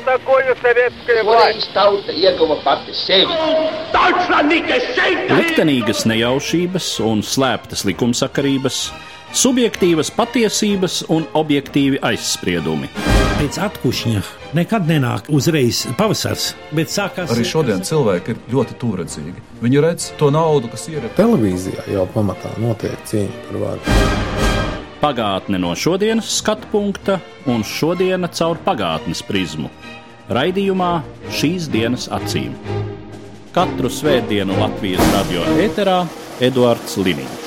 такое советская власть? Liktenīgas nejaušības un slēptas likumsakarības, subjektīvas patiesības un objektīvi aizspriedumi. Pēc atkušņa nekad nenāk uzreiz pavasars, bet sākās... Arī šodien cilvēki ir ļoti tūredzīgi. Viņi redz to naudu, kas ir. Televīzijā jau pamatā notiek cīņa par varu. Pagātne no šodienas skatu punkta un šodiena caur pagātnes prizmu. Raidījumā Šīs dienas acīm. Katru svētdienu Latvijas radio ēterā Eduards Liniņš.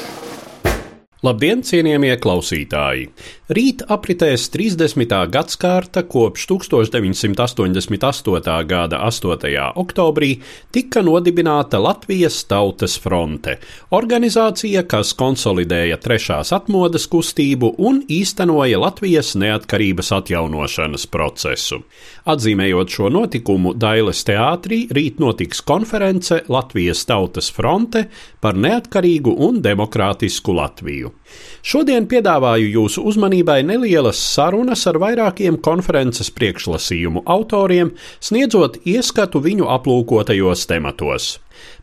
Labdien, cienījamie klausītāji! Rīt apritēs 30. gadskārta kopš 1988. gada 8. oktobrī tika nodibināta Latvijas Tautas fronte, organizācija, kas konsolidēja trešās atmodas kustību un īstenoja Latvijas neatkarības atjaunošanas procesu. Atzīmējot šo notikumu, Dailes teātrī rīt notiks konference Latvijas Tautas fronte par neatkarīgu un demokrātisku Latviju. Šodien piedāvāju jūsu uzmanībai nelielas sarunas ar vairākiem konferences priekšlasījumu autoriem, sniedzot ieskatu viņu aplūkotajos tematos.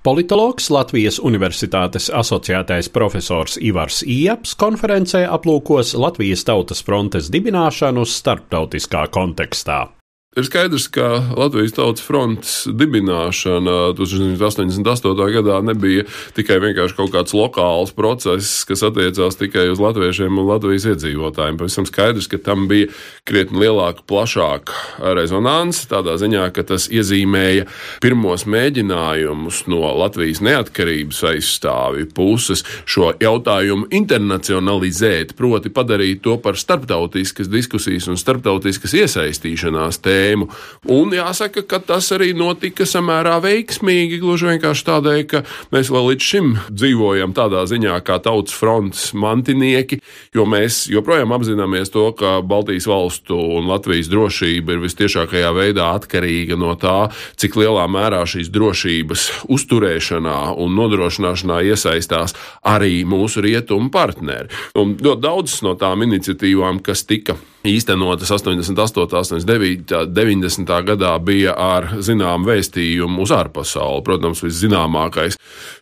Politologs Latvijas Universitātes asociētais profesors Ivars Ieps konferencē aplūkos Latvijas Tautas frontes dibināšanu starptautiskā kontekstā. Ir skaidrs, ka Latvijas Tautas frontes dibināšana 1988. gadā nebija tikai vienkārši kaut kāds lokāls process, kas attiecās tikai uz latviešiem un Latvijas iedzīvotājiem. Pavisam skaidrs, ka tam bija krietni lielāka, plašāka rezonanse, tādā ziņā, ka tas iezīmēja pirmos mēģinājumus no Latvijas neatkarības aizstāvju puses šo jautājumu internacionalizēt, proti padarīt to par starptautiskas diskusijas un starptautiskas iesaistīšanās tēmu. Un jāsaka, ka tas arī notika samērā veiksmīgi, gluži vienkārši tādēļ, ka mēs vēl līdz šim dzīvojam tādā ziņā kā Tautas frontes mantinieki, jo mēs joprojām apzināmies to, ka Baltijas valstu un Latvijas drošība ir vistiešākajā veidā atkarīga no tā, cik lielā mērā šīs drošības uzturēšanā un nodrošināšanā iesaistās arī mūsu rietumu partneri. Un ļoti daudzas no tām iniciatīvām, kas tika īstenotas 88., 89., 90. gadā bija ar zinām vēstījumu uz ārpasauli. Protams, viszināmākais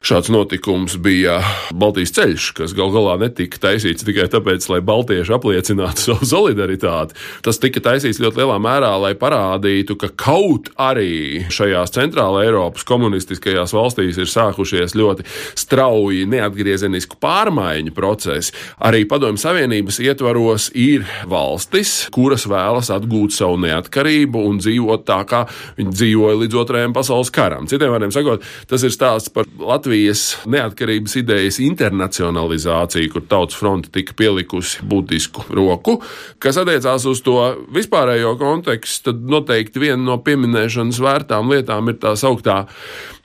šāds notikums bija Baltijas ceļš, kas gal galā netika taisīts tikai tāpēc, lai baltieši apliecinātu savu solidaritāti. Tas tika taisīts ļoti lielā mērā, lai parādītu, ka kaut arī šajās centrāla Eiropas komunistiskajās valstīs ir sākušies ļoti strauji neatgriezenisku pārmaiņu procesi. Arī Padomju Savienības ietvaros ir valstis, kuras vēlas atgūt savu neatkarību un dzīvot tā, kā viņi dzīvoja līdz Otrajam pasaules karam. Citiem vārdiem sakot, tas ir stāsts par Latvijas neatkarības idejas internacionalizāciju, kur Tautas fronte tika pielikusi būtisku roku. Kas attiecās uz to vispārējo kontekstu, tad noteikti viena no pieminēšanas vērtām lietām ir tā sauktā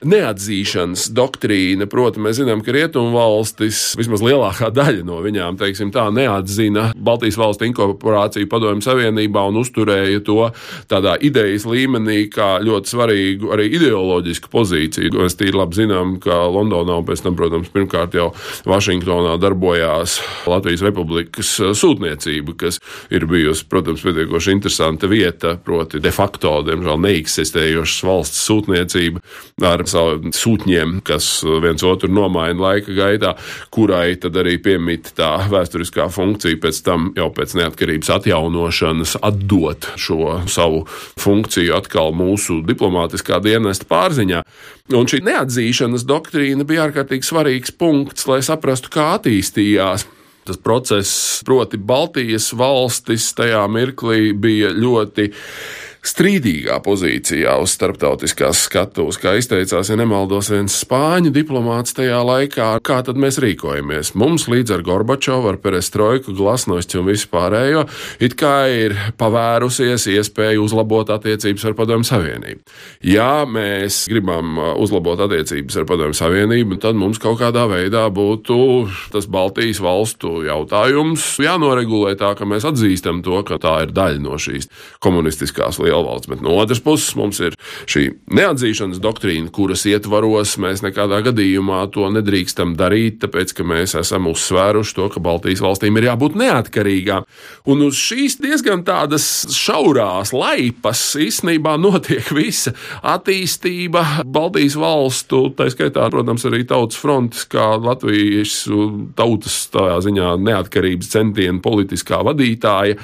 neatzīšanas doktrīna. Proti, mēs zinām, ka rietumvalstis, vismaz lielākā daļa no viņām, teiksim tā, neatzina Baltijas valstu inkorporāciju Padomju Savienībā un uzturēja to tādā idejas līmenī kā ļoti svarīgu arī ideoloģisku pozīciju. Mēs tīri labi zinām, ka Londonā un pēc tam, protams, pirmkārt jau Vašingtonā darbojās Latvijas Republikas sūtniecība, kas ir bijusi, protams, pietiekoši interesanta vieta, proti de facto, diemžēl neeksistējošas valsts sūtniecība ar saviem sūtņiem, kas viens otru nomaina laika gaitā, kurai tad arī piemīt tā vēsturiskā funkcija pēc tam jau pēc neatkarības atjaunošanas atdot šo savu funkciju atkal mūsu diplomātiskā dienesta pārziņā. Un šī neatzīšanas doktrīna bija ārkārtīgi svarīgs punkts, lai saprastu, kā attīstījās tas process, proti Baltijas valstis tajā mirklī bija ļoti strīdīgā pozīcijā uz starptautiskās skatuves, kā izteicās, ja nemaldos, viens spāņu diplomāts tajā laikā. Kā tad mēs rīkojamies? Mums līdz ar Gorbačovu, ar Perestroiku, Glasnosti un vispārējo, it kā ir pavērusies iespēja uzlabot attiecības ar Padomju Savienību. Ja mēs gribam uzlabot attiecības ar Padomju Savienību, tad mums kaut kādā veidā būtu tas Baltijas valstu jautājums jānoregulē tā, ka mēs atzīstam to, ka tā ir daļa no šīs komunistiskās lielvalsts, bet no otras puses mums ir šī neatzīšanas doktrīna, kuras ietvaros mēs nekādā gadījumā to nedrīkstam darīt, tāpēc, ka mēs esam uzsvēruši to, ka Baltijas valstīm ir jābūt neatkarīgām. Un uz šīs diezgan tādas šaurās laipas īstenībā notiek visa attīstība Baltijas valstu, tā skaitā, protams, arī Tautas frontes, kā Latvijas tautas tādā ziņā neatkarības centienu politiskā vadītāja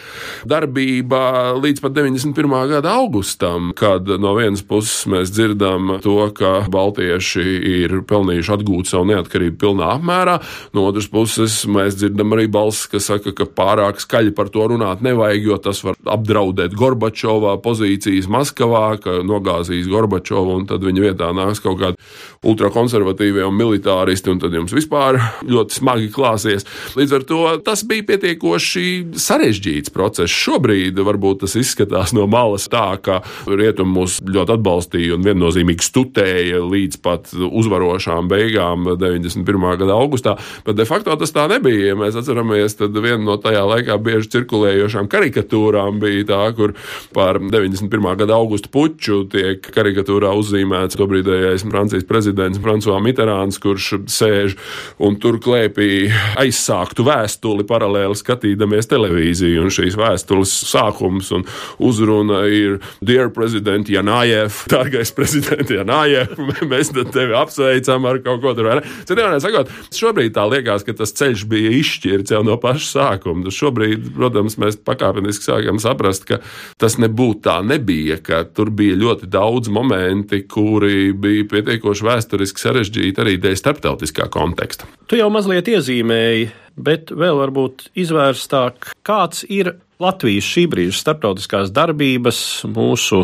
darbība līdz pat 91. gada augustam, kad no vienas puses mēs dzirdam to, ka baltieši ir pelnījuši atgūt savu neatkarību pilnā apmērā, no otras puses mēs dzirdam arī balsis, kas saka, ka pārāk skaļi par to runāt nevajag, jo tas var apdraudēt Gorbačova pozīcijas Maskavā, ka nogāzīs Gorbačovu un tad viņa vietā nāks kaut kādi ultrakonservatīvie un militāristi un tad jums vispār ļoti smagi klāsies. Līdz ar to tas bija pietiekoši sarežģīts process. Šobrīd varbūt tas izskatās no malas tā, ka rietumi mūs ļoti atbalstīja un viennozīmīgi stutēja līdz pat uzvarošām beigām 91. gada augustā, bet de facto tas tā nebija. Ja mēs atceramies, tad viena no tajā laikā bieži cirkulējošām karikatūrām bija tā, kur par 91. gada augusta puču tiek karikatūrā uzzīmēts tobrīdējais Francijas prezidents François Mitterrands, kurš sēž un tur klēpī aizsāktu vēstuli paralēli skatīdamies televīziju, un šīs vēstules sākums un uzruna ir Dear President Janajev, dārgais prezident Janajev, mēs tad tevi apsveicam ar kaut ko tur. Citādi sakot, šobrīd tā liekas, ka tas ceļš bija izšķirts jau no paša sākuma. Šobrīd, protams, mēs pakāpeniski sākam saprast, ka tas nebūtu tā nebija, ka tur bija ļoti daudz momenti, kuri bija pietiekoši vēsturiski sarežģīti arī dēļ starptautiskā konteksta. Tu jau mazliet iezīmēji, bet vēl varbūt izvērstāk, kāds ir Latvijas šī brīža starptautiskās darbības, mūsu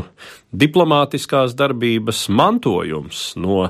diplomātiskās darbības mantojums no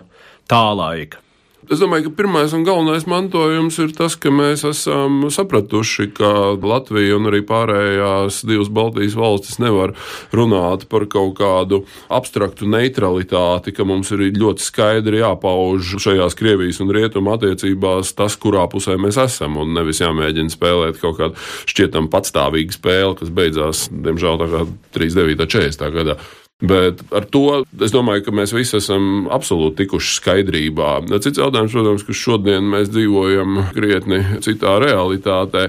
tā laika. Es domāju, ka pirmais un galvenais mantojums ir tas, ka mēs esam sapratuši, ka Latvija un arī pārējās divas Baltijas valstis nevar runāt par kaut kādu abstraktu neutralitāti, ka mums ir ļoti skaidri jāpauž šajās Krievijas un Rietumu attiecībās tas, kurā pusē mēs esam, un nevis jāmēģina spēlēt kaut kādu šķietam patstāvīgu spēli, kas beidzās, diemžēl, tā kā 39. 40. gadā. Bet ar to es domāju, ka mēs visi esam absolūti tikuši skaidrībā. Cits jautājums, protams, ka šodien mēs dzīvojam krietni citā realitātē,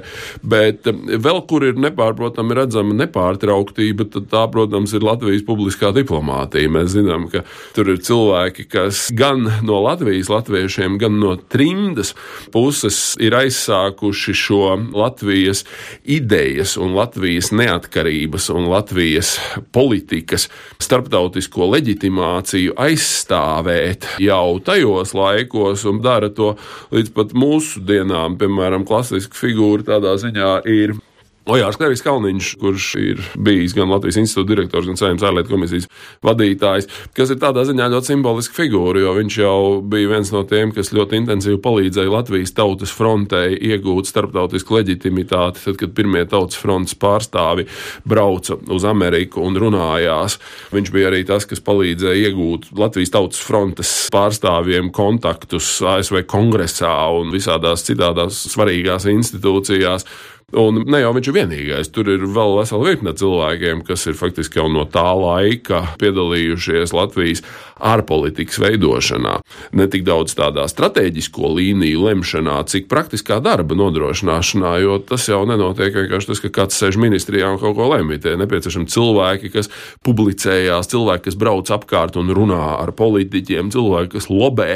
bet vēl kur ir nepārprotami redzama nepārtrauktība, tad tā, protams, ir Latvijas publiskā diplomātija. Mēs zinām, ka tur ir cilvēki, kas gan no Latvijas latviešiem, gan no trimdas puses ir aizsākuši šo Latvijas idejas un Latvijas neatkarības un Latvijas politikas starptautisko leģitimāciju aizstāvēt jau tajos laikos un dara to līdz pat mūsu dienām. Piemēram, klasiska figūra tādā ziņā ir Ojārs Klevis Kalniņš, kurš ir bijis gan Latvijas institūta direktors, gan Saeimas ārlietu komisijas vadītājs, kas ir tādā ziņā ļoti simboliska figūra, jo viņš jau bija viens no tiem, kas ļoti intensīvi palīdzēja Latvijas Tautas frontei iegūt starptautisku leģitimitāti, tad, kad pirmie Tautas frontes pārstāvi brauca uz Ameriku un runājās. Viņš bija arī tas, kas palīdzēja iegūt Latvijas Tautas frontes pārstāvjiem kontaktus ASV kongresā un visādās citādās svarīgās institūcijās. Un ne jau viņš ir vienīgais, tur ir vēl vesela virkne cilvēkiem, kas ir faktiski jau no tā laika piedalījušies Latvijas ārpolitikas veidošanā. Ne tik daudz tādā strateģisko līniju lemšanā, cik praktiskā darba nodrošināšanā, jo tas jau nenotiek vienkārši tas, ka kāds sēž ministrijā un kaut ko lemj. Tie nepieciešami cilvēki, kas publicējās, cilvēki, kas brauc apkārt un runā ar politiķiem, cilvēki, kas lobē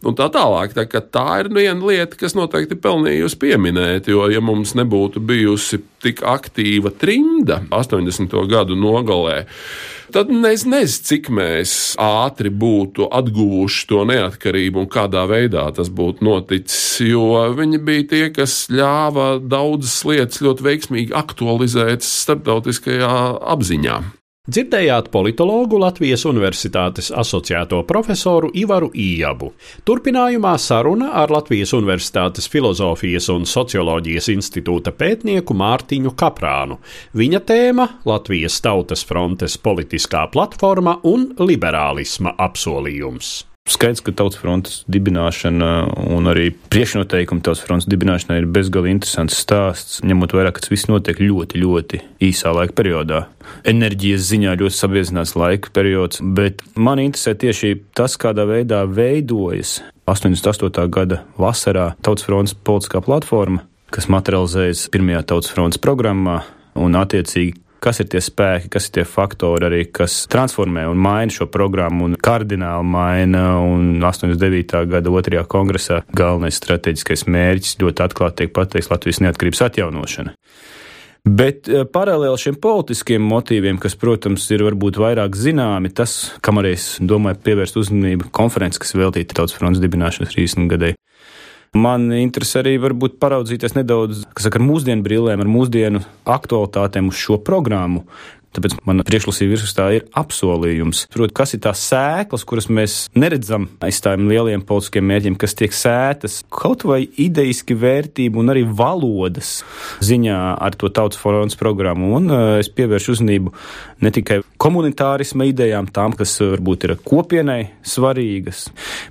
un tā tālāk. Tā ir viena lieta, kas noteikti pelnījusi pieminēt, jo ja mums nebūtu bijusi tik aktīva trimda 80. gadu nogalē, tad es nezinu, cik mēs ātri būtu atguvuši to neatkarību un kādā veidā tas būtu noticis, jo viņi bija tie, kas ļāva daudzas lietas ļoti veiksmīgi aktualizēt starptautiskajā apziņā. Dzirdējāt politologu Latvijas Universitātes asociēto profesoru Ivaru Ījabu. Turpinājumā saruna ar Latvijas Universitātes Filozofijas un Socioloģijas institūta pētnieku Mārtiņu Kaprānu. Viņa tēma – Latvijas Tautas frontes politiskā platforma un liberālisma apsolījums. Skaidrs, ka Tautas frontes dibināšana un arī priekšnoteikumi Tautas frontes dibināšanai ir bezgalīgi interesants stāsts, ņemot vērā, ka tas viss notiek ļoti, ļoti īsā laika periodā. Enerģijas ziņā ļoti sabiezināts laika periods, bet man interesē tieši tas, kādā veidā veidojas 88. gada vasarā Tautas frontes politiskā platforma, kas materializējas pirmajā Tautas frontes programmā un attiecīgi kas ir tie spēki, kas ir tie faktori arī, kas transformē un maina šo programmu un kardināli maina, un 89. gada 2. kongresā galvenais strateģiskais mērķis ļoti atklāti tiek pateikts Latvijas neatkarības atjaunošana. Bet paralēli šiem politiskiem motīviem, kas, protams, ir varbūt vairāk zināmi, tas, kam arī es domāju pievērst uzmanību konferences, kas veltīta Tautas frontes dibināšanas 30 gadai. Man interesē arī varbūt paraudzīties nedaudz, kas saka, ar mūsdienu brillēm, ar mūsdienu aktualitātēm uz šo programmu. Tāpēc man priekšlasījuma virsrakstā ir apsolījums. Proti, kas ir tās sēklas, kuras mēs neredzam aizstājumi lieliem politiskiem mērķiem, kas tiek sētas kaut vai ideiski vērtību un arī valodas ziņā ar to Tautas frontes programmu. Un es pievēršu uzmanību ne tikai komunitārisma idejām, tām, kas varbūt ir kopienai svarīgas,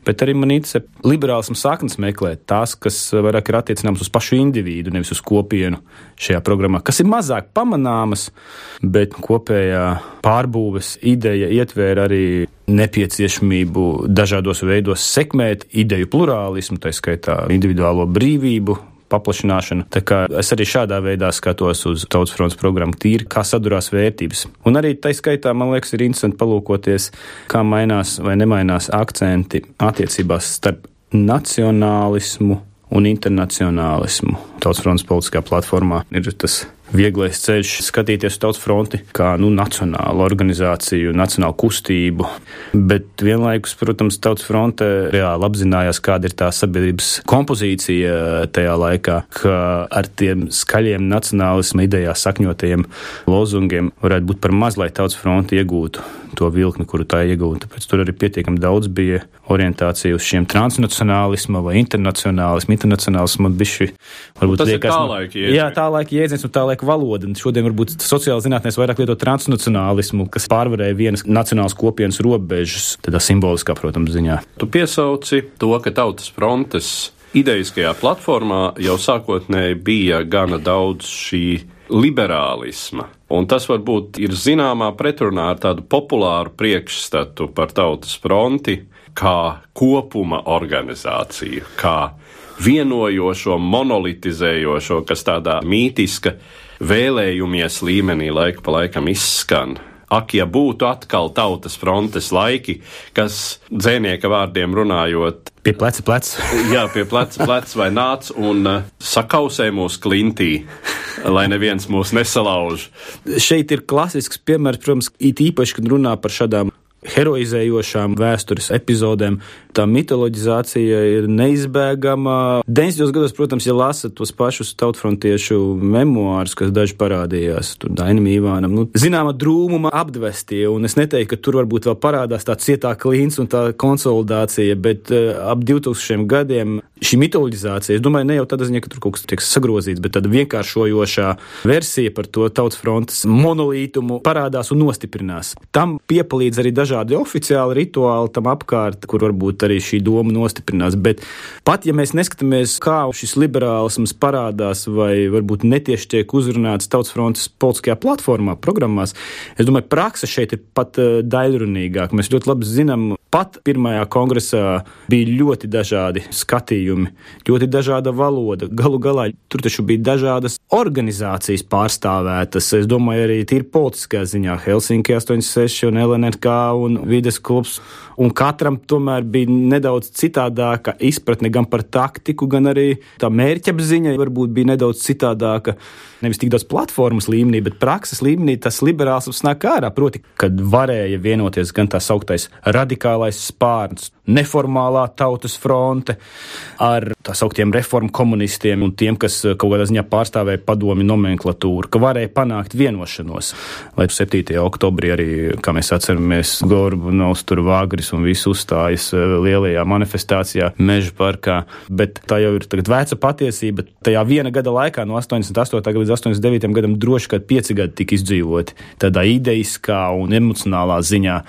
bet arī man interesē liberālismu saknes meklēt tās, kas vairāk ir attiecināmas uz pašu individu, nevis uz kopienu šajā programmā, kas ir mazāk pamanāmas, bet kopējā pārbūves ideja ietvēra arī nepieciešamību dažādos veidos sekmēt ideju plurālismu, tā skaitā individuālo brīvību paplašināšanu. Tā kā es arī šādā veidā skatos uz Tautas frontes programmu tīri, kā sadurās vērtības. Un arī tā skaitā, man liekas, ir interesanti palūkoties, kā mainās vai nemainās akcenti attiecībās starp nacionālismu un internacionālismu. Tautas frontes politiskā platformā ir tas vieglais ceļš skatīties uz Tautas fronti kā nacionālu organizāciju, nacionālu kustību, bet vienlaikus, protams, Tautas fronte reāli apzinājās, kāda ir tā sabiedrības kompozīcija tajā laikā, ka ar tiem skaļiem nacionālisma idejā sakņotajiem lozungiem varētu būt par maz, lai Tautas fronte iegūtu to vilkni, kuru tā iegūtu. Tāpēc tur arī pietiekami daudz bija orientācija uz šiem transnacionālisma vai internacionālisma bišķi. Varbūt tas liekas, ir tā laika jēdziens. Jā, tā laika jēdziens un tā laika valoda. Un šodien varbūt sociāli zinātnēs vairāk lieto transnacionālismu, kas pārvarēja vienas nacionālas kopienas robežas, tādā simboliskā, protams, ziņā. Tu piesauci to, ka Tautas frontes ideiskajā platformā jau sākotnēji bija gana daudz šī liberālisma. Un tas varbūt ir zināmā pretrunā ar tādu populāru priekšstatu par Tautas fronti kā kopuma organizāciju, kā vienojošo, monolitizējošo, kas tādā mītiska vēlējumies līmenī laiku pa laikam izskan. Ak, ja būtu atkal Tautas frontes laiki, kas dzēnieka vārdiem runājot Pie pleca. Jā, pie pleca vai nāc un sakausē mūs klintī, lai neviens mūs nesalauž. Šeit ir klasisks piemērs, protams, it īpaši, kad runā par šādām heroizējošām vēstures epizodēm. Tā mitoloģizācija ir neizbēgama. 90. gados, protams, ja lasa tos pašus tautfrontiešu memoārus, kas daži parādījās, tur Dainam Ivānam, zināma drūmuma apdvestie, un es neteiktu, ka tur varbūt vēl parādās tā cietā klīns un tā konsolidācija, bet ap 2000 gadiem šī mitoloģizācija, es domāju, ne jau tādā ziņā, ka tur kaut kas tiek sagrozīts, bet tāda vienkāršojošā versija par to Tautas frontes monolītumu parādās un nostiprinās. Tam piepalīdz arī dažādi oficiāli rituāli tam apkārt, kur varbūt arī šī doma nostiprinās. Bet pat, ja mēs neskatāmies, kā šis liberālisms parādās vai varbūt netieši tiek uzrunāts Tautas frontes politiskajā platformā, programmās, es domāju, praksa šeit ir pat daļrunīgāka. Mēs ļoti labi zinām, pat pirmajā kongresā bija ļoti dažādi skatījumi, ļoti dažāda valoda. Galu galā tur taču bija dažādas organizācijas pārstāvētas. Es domāju, arī tīri politiskā ziņā Helsinki 86 un LNRK un Vides klubs. Un katram tomēr bija nedaudz citādāka izpratne gan par taktiku, gan arī tā mērķapziņa varbūt bija nedaudz citādāka. Nevis tik daudz platformas līmenī, bet prakses līmenī tas liberālisms nāk ārā. Proti, kad varēja vienoties gan tā sauktais radikālais spārns, neformālā Tautas fronte, ar tā sauktiem reformu komunistiem un tiem, kas kaut kādā ziņā pārstāvēja padomju nomenklatūru, ka varēja panākt vienošanos. Lai 7. oktobrī arī, kā mēs atceramies, Gorbunovs, tur Vāgris un visi uzstājas lielajā manifestācijā Meža parkā, bet tā jau ir tagad veca patiesība. Tajā viena gada laikā no 88. gada līdz 89. gadam droši, ka 5 gadi tika izdzīvoti tādā ideiskā un emocionālā ziņā.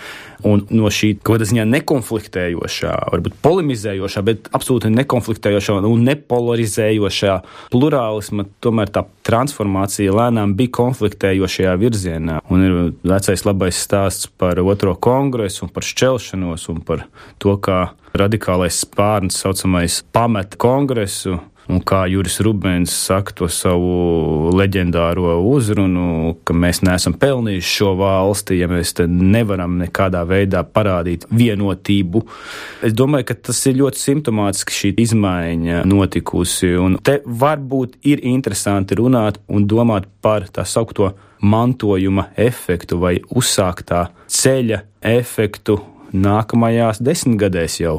Un no šī kaut kādā ziņā nekonfliktējošā, varbūt polemizējošā, bet absolūti nekonfliktējošā un nepolarizējošā plurālisma, tomēr tā transformācija lēnām bija konfliktējošajā virzienā. Un ir vecais labais stāsts par 2. kongresu un par šķelšanos un par to, kā radikālais spārns saucamais pamet kongresu. Un kā Juris Rubens saka to savu leģendāro uzrunu, ka mēs neesam pelnījuši šo valsti, ja mēs te nevaram nekādā veidā parādīt vienotību. Es domāju, ka tas ir ļoti simptomātiski šī izmaiņa notikusi, un te varbūt ir interesanti runāt un domāt par tā saukto mantojuma efektu vai uzsāktā ceļa efektu nākamajās 10 gadēs jau,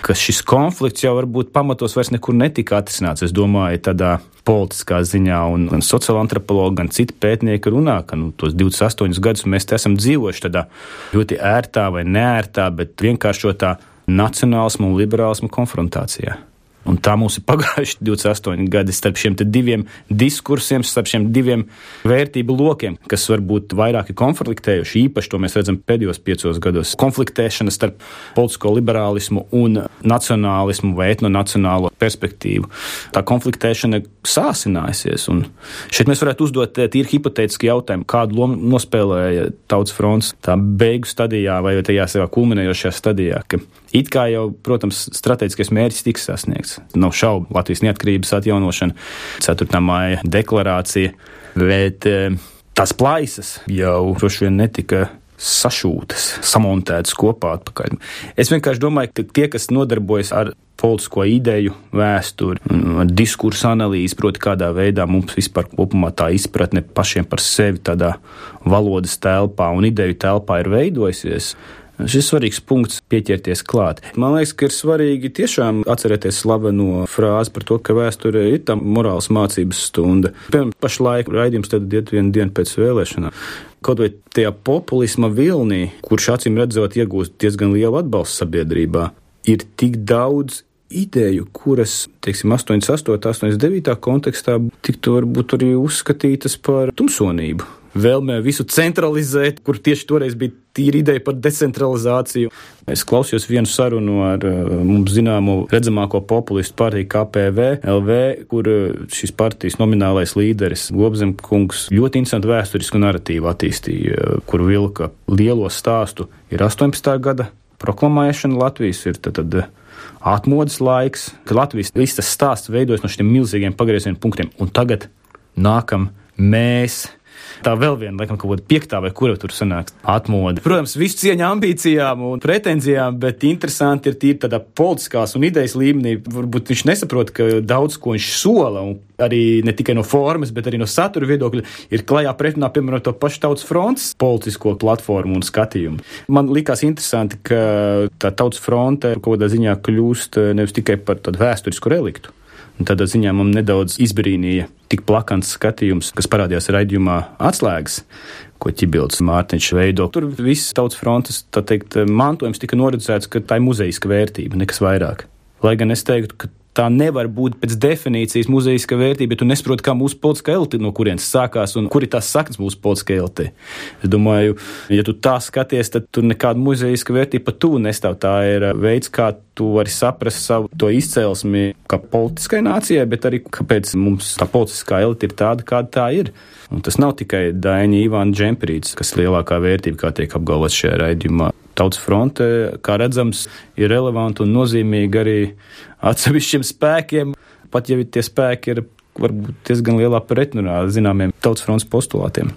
ka šis konflikts jau varbūt pamatos vairs nekur netika atrisināts. Es domāju, tādā politiskā ziņā, un gan sociālantropologi, gan citi pētnieki runā, ka tos 28 gadus mēs te esam dzīvojuši tādā ļoti ērtā vai neērtā, bet vienkāršotā nacionālismu un liberālismu konfrontācijā. Un tā mums ir pagājuši 28 gadi starp šiem te diviem diskursiem, starp šiem diviem vērtību lokiem, kas varbūt vairāk ir konfliktējuši. Īpaši to mēs redzam pēdējos 5 gados. Konfliktēšana starp politisko liberālismu un nacionālismu vai etnonacionālo perspektīvu. Tā konfliktēšana sāsinājusies. Un šeit mēs varētu uzdot tīri hipotētiski jautājumu, kādu lomu nospēlēja Tautas fronts tā beigu stadijā vai tajā savā kulminējošajā stadijā, ka it kā jau, protams, strateģiskais mērķis tiks sasniegts. Nav šaubu Latvijas neatkarības atjaunošana, 4. māja deklarācija, bet tās plaisas jau droši vien netika sašūtas, samontētas kopā atpakaļ. Es vienkārši domāju, ka tie, kas nodarbojas ar politisko ideju, vēsturi, diskursu analīzi, proti kādā veidā mums vispār kopumā tā izpratne pašiem par sevi tādā valodas telpā un ideju telpā ir veidojusies, šis svarīgs punkts pieķerties klāt. Man liekas, ka ir svarīgi tiešām atcerēties slaveno frāzi par to, ka vēsture ir tā morāls mācības stunda. Piemēram, pašlaik raidījums tad iet 1 dienu pēc vēlēšanām. Kaut vai tajā populisma vilnī, kurš acīm redzot iegūst diezgan lielu atbalstu sabiedrībā, ir tik daudz ideju, kuras, teiksim, 88. 89. kontekstā tiktu varbūt arī uzskatītas par tumsonību. Vēlmē visu centralizēt, kur tieši toreiz bija tīra ideja par decentralizāciju. Es klausījos vienu sarunu ar mums zināmo redzamāko populistu partiju KPV LV, kur šīs partijas nominālais līderis Gobzemkungs ļoti interesantu vēsturisku narratīvu attīstīja, kur vilka lielo stāstu. Ir 18. gada proklamēšana Latvijas, ir tad atmodas laiks, kad Latvijas viss tas stāsts veidojas no šiem milzīgiem pagrieziena punktiem, un tagad nākam mēs. Tā vēl viena, laikam, kaut kāda 5. vai kura tur sanāks atmoda. Protams, visu cieņa ambīcijām un pretenzijām, bet interesanti ir tīri tādā politiskās un idejas līmenī. Varbūt viņš nesaprot, ka daudz ko viņš sola, un arī ne tikai no formas, bet arī no satura viedokļa ir klajā pretrunā, piemēram, to pašu Tautas frontes politisko platformu un skatījumu. Man likās interesanti, ka tā Tautas fronte kaut kādā ziņā kļūst nevis tikai par tādu vēsturisku reliktu. Un tādā ziņā man nedaudz izbrīnīja tik plakants skatījums, kas parādījās raidījumā Atslēgas, ko Ķibilds Mārtiņš veido. Tur viss Tautas frontes, tā teikt, mantojums tika noreducēts, ka tā ir muzejiska vērtība, nekas vairāk. Lai gan es teiktu, ka tā nevar būt pēc definīcijas muzejiska vērtība, ja tu nesaproti, kā mūsu politiskā elite no kurienes sākās un kur ir tās saknes mūsu politiskā elite. Es domāju, ja tu tā skaties, tad tur nekāda muzejiska vērtība pat tuvu nestāv. Tā ir veids, kā tu vari saprast savu to izcelsmi kā politiskai nācijai, bet arī kāpēc mums tā politiskā elite ir tāda, kāda tā ir. Un tas nav tikai Daina Ivāna Džemperīts, kas ir lielākā vērtība, kā tiek apgalvots šajā raidījumā. Tautas fronte, kā redzams, ir relevanti un nozīmīgi arī atsevišķiem spēkiem, pat ja tie spēki ir varbūt diezgan lielā pretrunā zināmiem Tautas frontes postulātiem.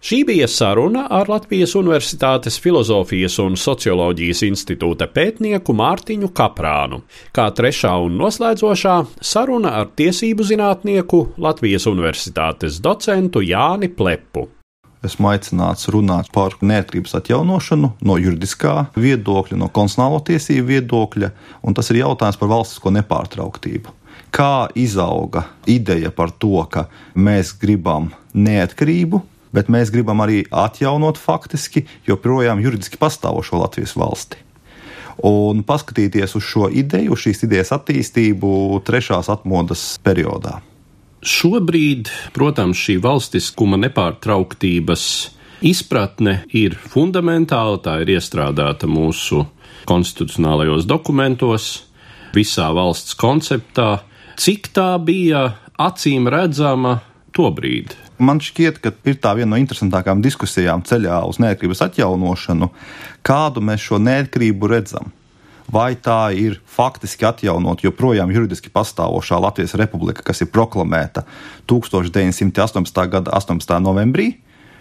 Šī bija saruna ar Latvijas Universitātes Filozofijas un Socioloģijas institūta pētnieku Mārtiņu Kaprānu, kā trešā un noslēdzošā saruna ar tiesību zinātnieku Latvijas Universitātes docentu Jāni Plepu. esmu aicināts runāt par neatkarības atjaunošanu no juridiskā viedokļa, no konstitucionālo tiesību viedokļa, un tas ir jautājums par valstisko nepārtrauktību. Kā izauga ideja par to, ka mēs gribam neatkarību, bet mēs gribam arī atjaunot faktiski joprojām juridiski pastāvošo Latvijas valsti. Un paskatīties uz šo ideju, šīs idejas attīstību 3. atmodas periodā. Šobrīd, protams, šī valstiskuma nepārtrauktības izpratne ir fundamentāla, tā ir iestrādāta mūsu konstitucionālajos dokumentos, visā valsts konceptā. Cik tā bija acīm redzama tobrīd? Man šķiet, ka ir tā viena no interesantākām diskusijām ceļā uz neatkarības atjaunošanu, kādu mēs šo neatkarību redzam. Vai tā ir faktiski atjaunot joprojām juridiski pastāvošā Latvijas republika, kas ir proklamēta 1918. gada 18. novembrī,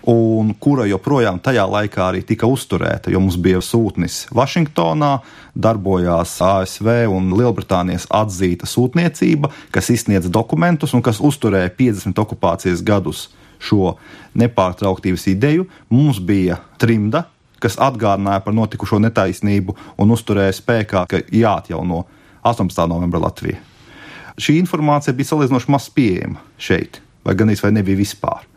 un kura joprojām tajā laikā arī tika uzturēta, jo mums bija sūtnis Vašingtonā, darbojās ASV un Lielbritānijas atzīta sūtniecība, kas izsniedz dokumentus un kas uzturēja 50 okupācijas gadus šo nepārtrauktības ideju. Mums bija trimda, kas atgādināja par notikušo netaisnību un uzturēja spēkā, ka jāatjauno 18. novembra Latvija. Šī informācija bija salīdzinoši maz pieejama šeit, vai gan vai nebija vispār.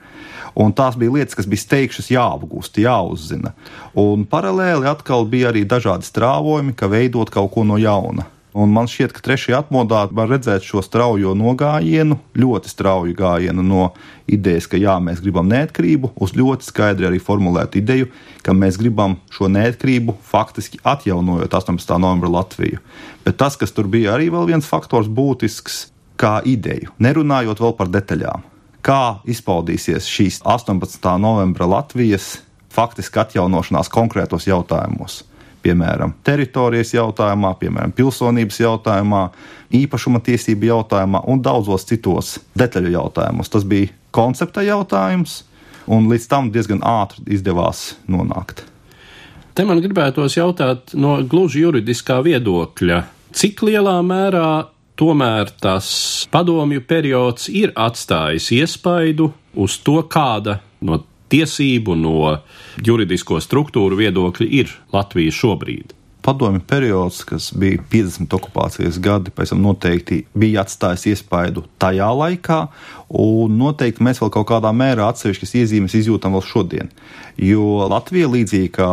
Un tās bija lietas, kas bija steigšas jāapgūst, jāuzzina. Un paralēli atkal bija arī dažādi strāvojumi, ka veidot kaut ko no jauna. Un man šķiet, ka 3. atmodā var redzēt šo straujo nogājienu, ļoti strauju gājienu no idejas, ka jā, mēs gribam neatkarību, uz ļoti skaidri arī formulētu ideju, ka mēs gribam šo neatkarību faktiski atjaunojot 18. novembra Latviju. Bet tas, kas tur bija arī vēl viens faktors būtisks, kā ideju, nerunājot vēl par detaļām. Kā izpaudīsies šīs 18. novembra Latvijas faktiski atjaunošanās konkrētos jautājumos. Piemēram, teritorijas jautājumā, piemēram, pilsonības jautājumā, īpašuma tiesību jautājumā un daudzos citos detaļu jautājumos. Tas bija koncepta jautājums, un līdz tam diezgan ātri izdevās nonākt. Te man gribētos jautāt no gluži juridiskā viedokļa, cik lielā mērā tomēr tas padomju periods ir atstājis iespaidu uz to, kāda no tiesību, no juridisko struktūru viedokļa ir Latvija šobrīd. Padomju periods, kas bija 50 okupācijas gadi, pēc tam noteikti bija atstājis iespaidu tajā laikā, un noteikti mēs vēl kaut kādā mērā atsevišķas iezīmes izjūtam vēl šodien. Jo Latvija līdzīgi kā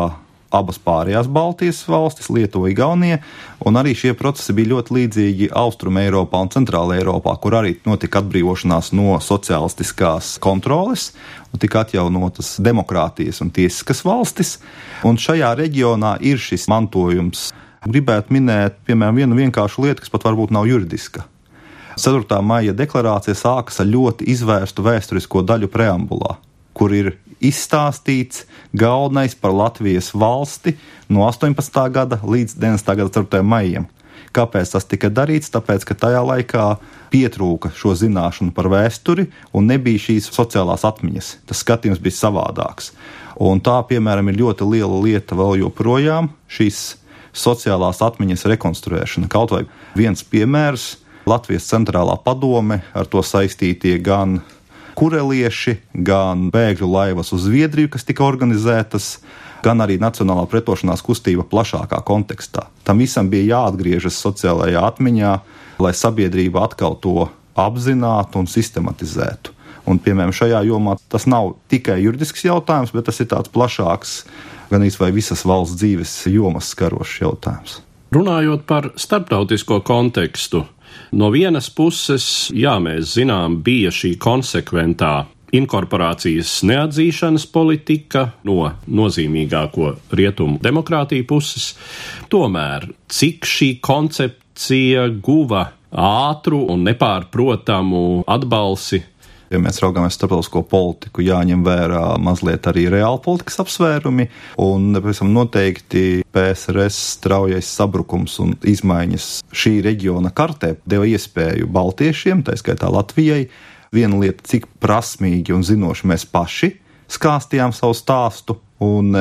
abas pārējās Baltijas valstis, Lietuva, Igaunija, un arī šie procesi bija ļoti līdzīgi Austrum Eiropā un Centrāla Eiropā, kur arī notika atbrīvošanās no sociālistiskās kontroles un tika atjaunotas demokrātijas un tiesiskas valstis. Un šajā reģionā ir šis mantojums. Gribētu minēt, piemēram, vienu vienkāršu lietu, kas pat varbūt nav juridiska. 4. maija deklarācija sākas ar ļoti izvērstu vēsturisko daļu preambulā, kur ir izstāstīts galvenais par Latvijas valsti no 18. gada līdz 19. gada 4. maijam. Kāpēc tas tika darīts? Tāpēc, ka tajā laikā pietrūka šo zināšanu par vēsturi un nebija šīs sociālās atmiņas. Tas skatījums bija savādāks. Un tā, piemēram, ir ļoti liela lieta vēl joprojām šīs sociālās atmiņas rekonstruēšana. Kaut vai viens piemērs - Latvijas centrālā padome, ar to saistītie gan kurelieši, gan bēgļu laivas uz Zviedriju, kas tika organizētas, gan arī nacionālā pretošanās kustība plašākā kontekstā. Tam visam bija jāatgriežas sociālajā atmiņā, lai sabiedrība atkal to apzinātu un sistematizētu. Un, piemēram, šajā jomā tas nav tikai juridisks jautājums, bet tas ir tāds plašāks, gan vai visas valsts dzīves jomas skarošs jautājums. Runājot par starptautisko kontekstu, no vienas puses, jā, mēs zinām, bija šī konsekventā inkorporācijas neatzīšanas politika no nozīmīgāko rietumu demokrātiju puses. Tomēr, cik šī koncepcija guva ātru un nepārprotamu atbalsi? Ja mēs raugāmies starptautisko politiku, jāņem vērā mazliet arī reāla politikas apsvērumi, un noteikti PSRS straujais sabrukums un izmaiņas šī reģiona kartē deva iespēju baltiešiem, tā skaitā Latvijai, viena lieta, cik prasmīgi un zinoši mēs paši skāstījām savu stāstu un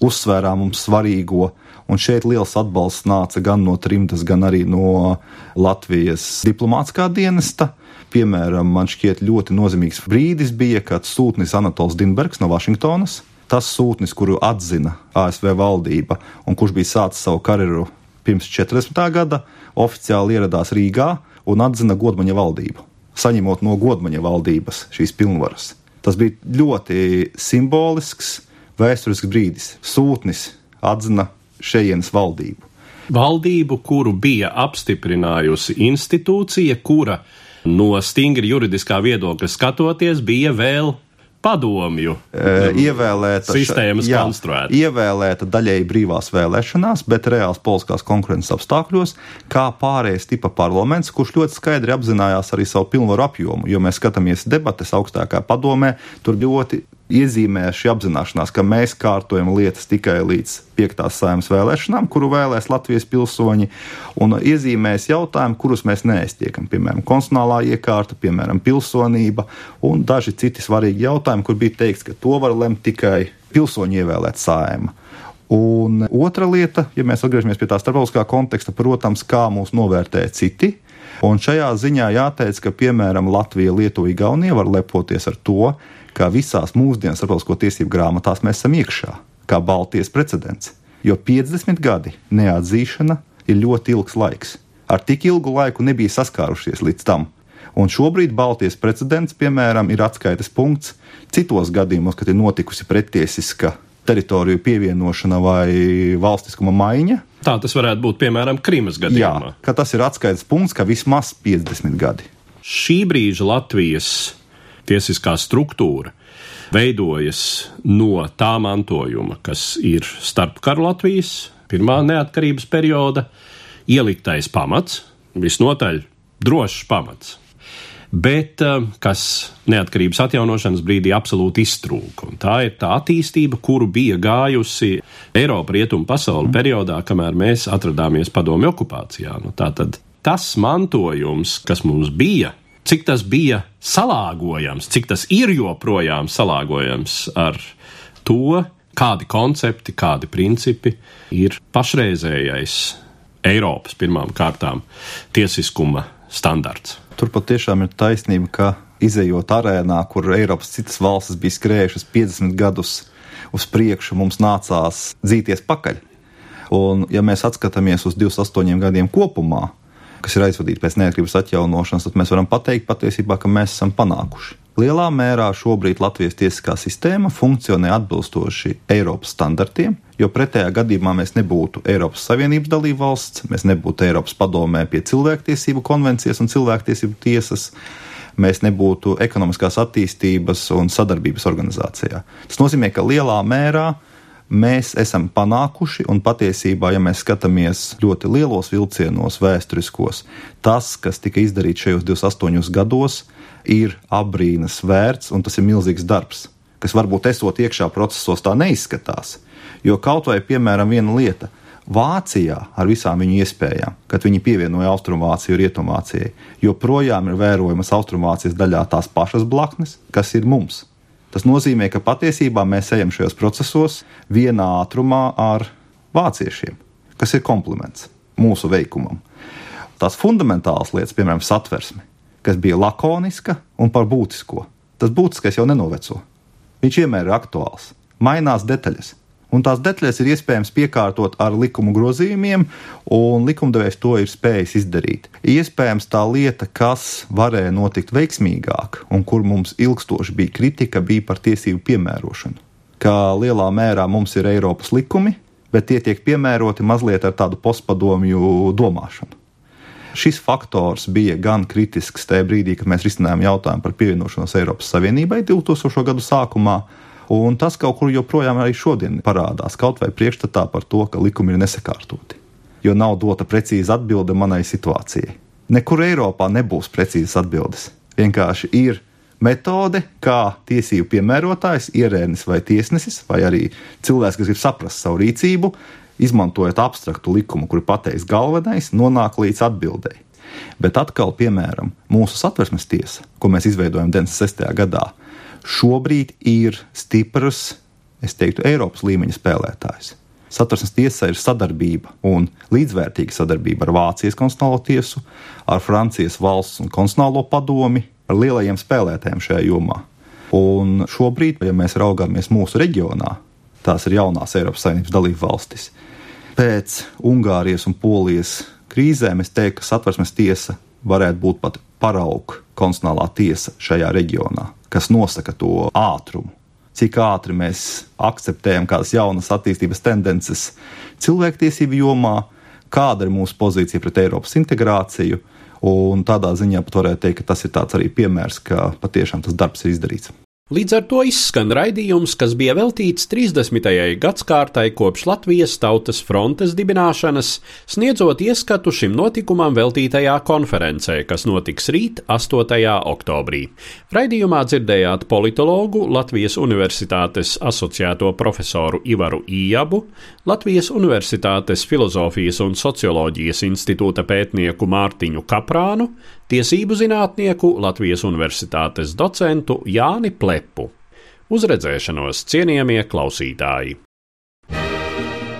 uzsvērām mums svarīgo. Un šeit liels atbalsts nāca gan no trimdas, gan arī no Latvijas diplomātiskā dienesta. Piemēram, man šķiet ļoti nozīmīgs brīdis bija, kad sūtnis Anatols Dinbergs no Vašingtonas, tas sūtnis, kuru atzina ASV valdība un kurš bija sācis savu karjeru pirms 40. gada, oficiāli ieradās Rīgā un atzina Godmaņa valdību, saņemot no Godmaņa valdības šīs pilnvaras. Tas bija ļoti simbolisks, vēsturisks brīdis. Sūtnis atzina šejienes valdību. Valdību, kuru bija apstiprinājusi institūcija, kura no stingri juridiskā viedokļa skatoties bija vēl padomju ievēlēta sistēmas konstruēta. Ievēlēta daļēji brīvās vēlēšanās, bet reāls politiskās konkurences apstākļos, kā pārējais tipa parlaments, kurš ļoti skaidri apzinājās arī savu pilnvaru apjomu, jo mēs skatāmies debates augstākā padomē, tur ļoti iezīmē šī apzināšanās, ka mēs kārtojam lietas tikai līdz 5. Saeimas vēlēšanām, kuru vēlēs Latvijas pilsoņi, un iezīmēs jautājumu, kurus mēs neaiztiekam, piemēram, konstitucionālā iekārta, piemēram, pilsonība un daži citi svarīgi jautājumi, kur bija teikts, ka to var lemt tikai pilsoņi ievēlēt Saeima. Un otra lieta, ja mēs atgriežamies pie tā starptautiskā konteksta, protams, kā mūs novērtē citi, un šajā ziņā jāteic, ka, piemēram, Latvija, Lietuva, Igaunija var lepoties ar to, ka visās mūsdienas starptautisko tiesību grāmatās mēs esam iekšā, kā Baltijas precedents. Jo 50 gadi neatzīšana ir ļoti ilgs laiks. Ar tik ilgu laiku nebija saskārušies līdz tam. Un šobrīd Baltijas precedents, piemēram, ir atskaites punkts citos gadījumos, kad ir notikusi pretiesiska teritoriju pievienošana vai valstiskuma maiņa. Tā tas varētu būt, piemēram, Krimas gadījumā. Jā, ka tas ir atskaites punkts, ka vismaz 50 gadi. Šī brīža Latvijas tiesiskā struktūra veidojas no tā mantojuma, kas ir starpkaru Latvijas, pirmā neatkarības perioda, ieliktais pamats, visnotaļ drošs pamats, bet kas neatkarības atjaunošanas brīdī absolūti iztrūka. Un tā ir tā attīstība, kuru bija gājusi Eiropa rietumu pasauli periodā, kamēr mēs atradāmies padomju okupācijā. Tātad tas mantojums, kas mums bija, cik tas bija salāgojams, cik tas ir joprojām salāgojams ar to, kādi koncepti, kādi principi ir pašreizējais Eiropas pirmām kārtām tiesiskuma standarts. Tur patiešām ir taisnība, ka izejot arēnā, kur Eiropas citas valstis bija skrējušas 50 gadus uz priekšu, mums nācās dzīties pakaļ. Un ja mēs atskatāmies uz 28 gadiem kopumā, kas ir aizvadīti pēc neatkarības atjaunošanas, tad mēs varam pateikt patiesībā, ka mēs esam panākuši. Lielā mērā šobrīd Latvijas tiesiskā sistēma funkcionē atbilstoši Eiropas standartiem, jo pretējā gadījumā mēs nebūtu Eiropas Savienības dalībvalsts, mēs nebūtu Eiropas padomē pie cilvēktiesību konvencijas un cilvēktiesību tiesas, mēs nebūtu ekonomiskās attīstības un sadarbības organizācijā. Tas nozīmē, ka lielā mērā mēs esam panākuši, un patiesībā, ja mēs skatāmies ļoti lielos vilcienos vēsturiskos, tas, kas tika izdarīts šajos 28 gados, ir apbrīnas vērts, un tas ir milzīgs darbs, kas varbūt esot iekšā procesos tā neizskatās. Jo kaut vai, piemēram, viena lieta, Vācijā ar visām viņu iespējām, kad viņi pievienoja Austrumvāciju Rietumvācijai, joprojām ir vērojamas Austrumvācijas daļā tās pašas blaknes, kas ir mums. Tas nozīmē, ka patiesībā mēs ejam šajos procesos vienā ātrumā ar vāciešiem, kas ir kompliments mūsu veikumam. Tās fundamentālas lietas, piemēram, satversme, kas bija lakoniska un par būtisko. Tas būtiskais jau nenoveco. Viņš vienmēr ir aktuāls. Mainās detaļas. Un tās detaļas ir iespējams piekārtot ar likumu grozījumiem, un likumdevējs to ir spējis izdarīt. Iespējams tā lieta, kas varēja notikt veiksmīgāk, un kur mums ilgstoši bija kritika, bija par tiesību piemērošanu. Kā lielā mērā mums ir Eiropas likumi, bet tie tiek piemēroti mazliet ar tādu postpadomju domāšanu. Šis faktors bija gan kritisks tajā brīdī, kad mēs risinājām jautājumu par pievienošanos Eiropas Savienībai 2000. Gadu sākumā, un tas kaut kur joprojām arī šodien parādās, kaut vai priekšstatā par to, ka likumi ir nesakārtoti, jo nav dota precīza atbilde manai situācijai. Nekur Eiropā nebūs precīzas atbildes. Vienkārši ir metode, kā tiesību piemērotājs, ierēdnis vai tiesnesis, vai arī cilvēks, kas grib saprast savu rīcību, izmantojot abstraktu likumu, kuri pateiks galvenais, nonāk līdz atbildēji. Bet atkal, piemēram, mūsu satversmes tiesa, ko mēs izveidojam 96. gadā, šobrīd ir stiprs, es teiktu, Eiropas līmeņa spēlētājs. Satversmes tiesā ir sadarbība un līdzvērtīga sadarbība ar Vācijas konstitucionālo tiesu, ar Francijas valsts un konstitucionālo padomi, ar lielajiem spēlētājiem šajā jomā. Un šobrīd, ja mēs raugāmies mūsu reģionā, tās ir jaunās Eiropas Savienības dalību valstis. Pēc Ungārijas un Polijas krīzēm es teiktu, ka Satversmes tiesa varētu būt pat parauga konstitucionālā tiesa šajā reģionā, kas nosaka to ātrumu. Cik ātri mēs akceptējam kādas jaunas attīstības tendences cilvēktiesību jomā, kāda ir mūsu pozīcija pret Eiropas integrāciju, un tādā ziņā pat varētu teikt, ka tas ir tāds arī piemērs, ka patiešām tas darbs ir izdarīts. Līdz ar to izskan raidījums, kas bija veltīts 30. gadskārtai kopš Latvijas Tautas frontes dibināšanas, sniedzot ieskatu šim notikumam veltītajā konferencē, kas notiks rīt 8. oktobrī. Raidījumā dzirdējāt politologu, Latvijas Universitātes asociēto profesoru Ivaru Ījabu, Latvijas Universitātes Filozofijas un socioloģijas institūta pētnieku Mārtiņu Kaprānu, tiesību zinātnieku Latvijas Universitātes docentu Jāni Plepu. Uz redzēšanos, cienījamie klausītāji!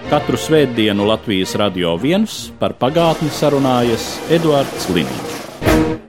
Katru svētdienu Latvijas Radio 1 par pagātni sarunājas Eduards Liniņš.